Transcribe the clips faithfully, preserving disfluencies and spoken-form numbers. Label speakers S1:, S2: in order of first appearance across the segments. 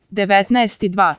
S1: devetnaest dva.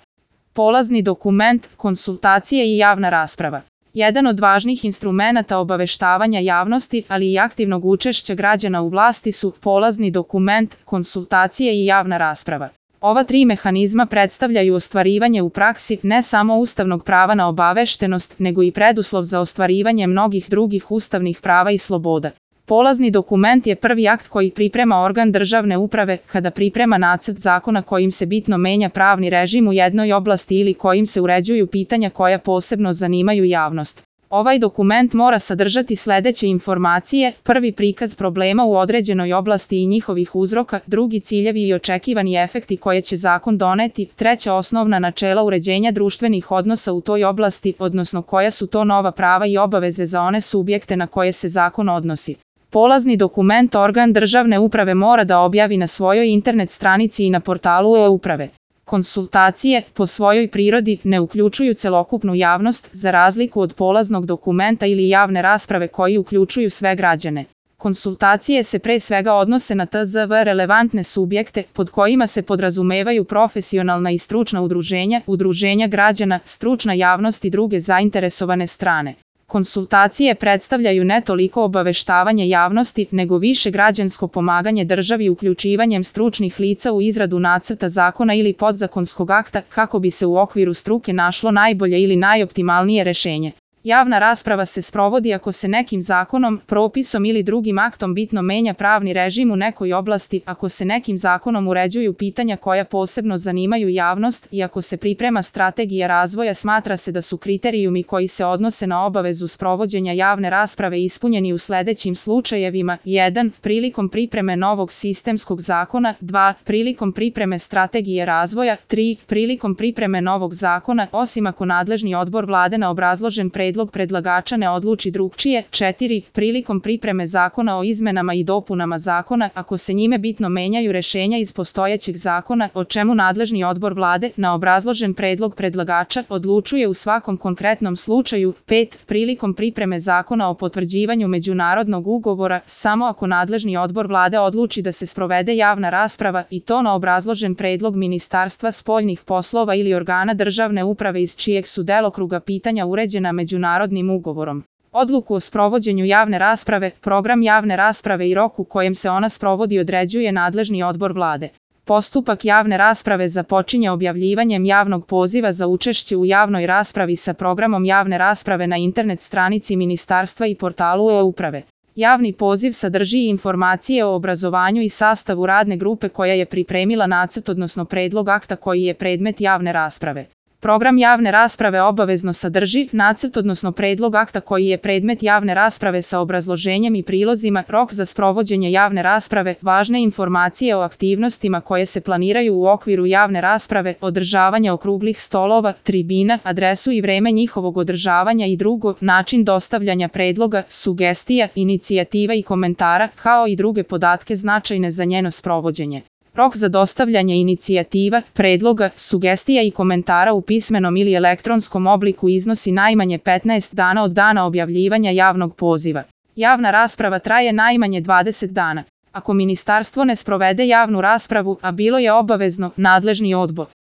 S1: Polazni dokument, konsultacije i javna rasprava. Jedan od važnih instrumenata obaveštavanja javnosti, ali i aktivnog učešća građana u vlasti su polazni dokument, konsultacije i javna rasprava. Ova tri mehanizma predstavljaju ostvarivanje u praksi ne samo ustavnog prava na obaveštenost, nego i preduslov za ostvarivanje mnogih drugih ustavnih prava i sloboda. Polazni dokument je prvi akt koji priprema organ državne uprave kada priprema nacrt zakona kojim se bitno menja pravni režim u jednoj oblasti ili kojim se uređuju pitanja koja posebno zanimaju javnost. Ovaj dokument mora sadržati sledeće informacije: prvi, prikaz problema u određenoj oblasti i njihovih uzroka, drugi, ciljevi i očekivani efekti koje će zakon doneti, treća, osnovna načela uređenja društvenih odnosa u toj oblasti, odnosno koja su to nova prava i obaveze za one subjekte na koje se zakon odnosi. Polazni dokument organ državne uprave mora da objavi na svojoj internet stranici i na portalu e-uprave. Konsultacije, po svojoj prirodi, ne uključuju celokupnu javnost, za razliku od polaznog dokumenta ili javne rasprave koji uključuju sve građane. Konsultacije se pre svega odnose na T Z V relevantne subjekte, pod kojima se podrazumevaju profesionalna i stručna udruženja, udruženja građana, stručna javnost i druge zainteresovane strane. Konsultacije predstavljaju ne toliko obaveštavanje javnosti, nego više građansko pomaganje državi uključivanjem stručnih lica u izradu nacrta zakona ili podzakonskog akta, kako bi se u okviru struke našlo najbolje ili najoptimalnije rešenje. Javna rasprava se sprovodi ako se nekim zakonom, propisom ili drugim aktom bitno menja pravni režim u nekoj oblasti, ako se nekim zakonom uređuju pitanja koja posebno zanimaju javnost i ako se priprema strategija razvoja. Smatra se da su kriterijumi koji se odnose na obavezu sprovođenja javne rasprave ispunjeni u sledećim slučajevima: jedan. Prilikom pripreme novog sistemskog zakona, dva. Prilikom pripreme strategije razvoja, tri. Prilikom pripreme novog zakona, osim ako nadležni odbor Vlade na obrazložen predlog predlagača ne odluči drugčije, četiri. Prilikom pripreme zakona o izmenama i dopunama zakona, ako se njime bitno menjaju rešenja iz postojećeg zakona, o čemu nadležni odbor Vlade, na obrazložen predlog predlagača, odlučuje u svakom konkretnom slučaju. pet. Prilikom pripreme zakona o potvrđivanju međunarodnog ugovora, samo ako nadležni odbor Vlade odluči da se sprovede javna rasprava, i to na obrazložen predlog Ministarstva spoljnih poslova ili organa državne uprave iz čijeg su delokruga pitanja uređena međunarodnim Narodnim ugovorom. Odluku o sprovođenju javne rasprave, program javne rasprave i rok u kojem se ona sprovodi određuje nadležni odbor Vlade. Postupak javne rasprave započinje objavljivanjem javnog poziva za učešće u javnoj raspravi sa programom javne rasprave na internet stranici Ministarstva i portalu e-uprave. Javni poziv sadrži informacije o obrazovanju i sastavu radne grupe koja je pripremila nacrt odnosno predlog akta koji je predmet javne rasprave. Program javne rasprave obavezno sadrži nacrt odnosno predlog akta koji je predmet javne rasprave sa obrazloženjem i prilozima, rok za sprovođenje javne rasprave, važne informacije o aktivnostima koje se planiraju u okviru javne rasprave, održavanje okruglih stolova, tribina, adresu i vreme njihovog održavanja i drugo, način dostavljanja predloga, sugestija, inicijativa i komentara, kao i druge podatke značajne za njeno sprovođenje. Rok za dostavljanje inicijativa, predloga, sugestija i komentara u pismenom ili elektronskom obliku iznosi najmanje petnaest dana od dana objavljivanja javnog poziva. Javna rasprava traje najmanje dvadeset dana. Ako ministarstvo ne sprovede javnu raspravu, a bilo je obavezno, nadležni odbor